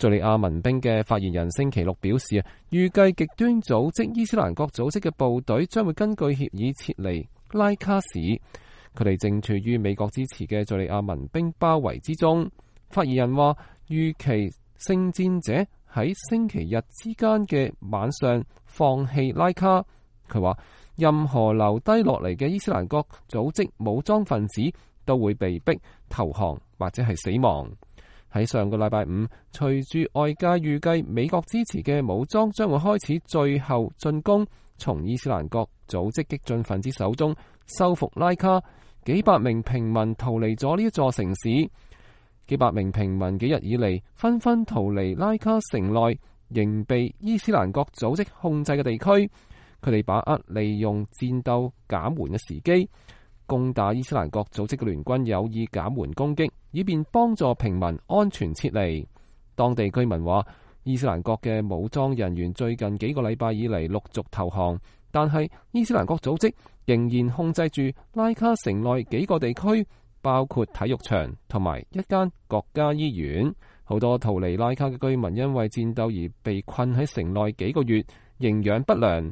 敘利亞民兵嘅發言人星期六表示，預計極端組織伊斯蘭國組織嘅部隊將會根據協議撤離拉卡市，佢哋正處於美國支持嘅敘利亞民兵包圍之中。發言人話，預期聖戰者喺星期日之間嘅晚上放棄拉卡。佢話，任何留低落嚟嘅伊斯蘭國組織武裝分子都會被逼投降或者係死亡。喺上個禮拜五，隨住外界預計美國支持嘅武裝將會開始最後進攻，從伊斯蘭國組織激進分子手中收復拉卡，幾百名平民逃離咗呢一座城市。幾百名平民幾日以嚟紛紛逃離拉卡城內仍被伊斯蘭國組織控制嘅地區，佢哋把握利用戰鬥減緩嘅時機，攻打伊斯蘭國組織嘅聯軍有意減緩攻擊，以便幫助平民安全撤離。當地居民話，伊斯蘭國嘅武裝人員最近幾個禮拜以嚟陸續投降，但係伊斯蘭國組織仍然控制住拉卡城內幾個地區，包括體育場同埋一間國家醫院。好多逃離拉卡嘅居民因為戰鬥而被困喺城內幾個月，營養不良。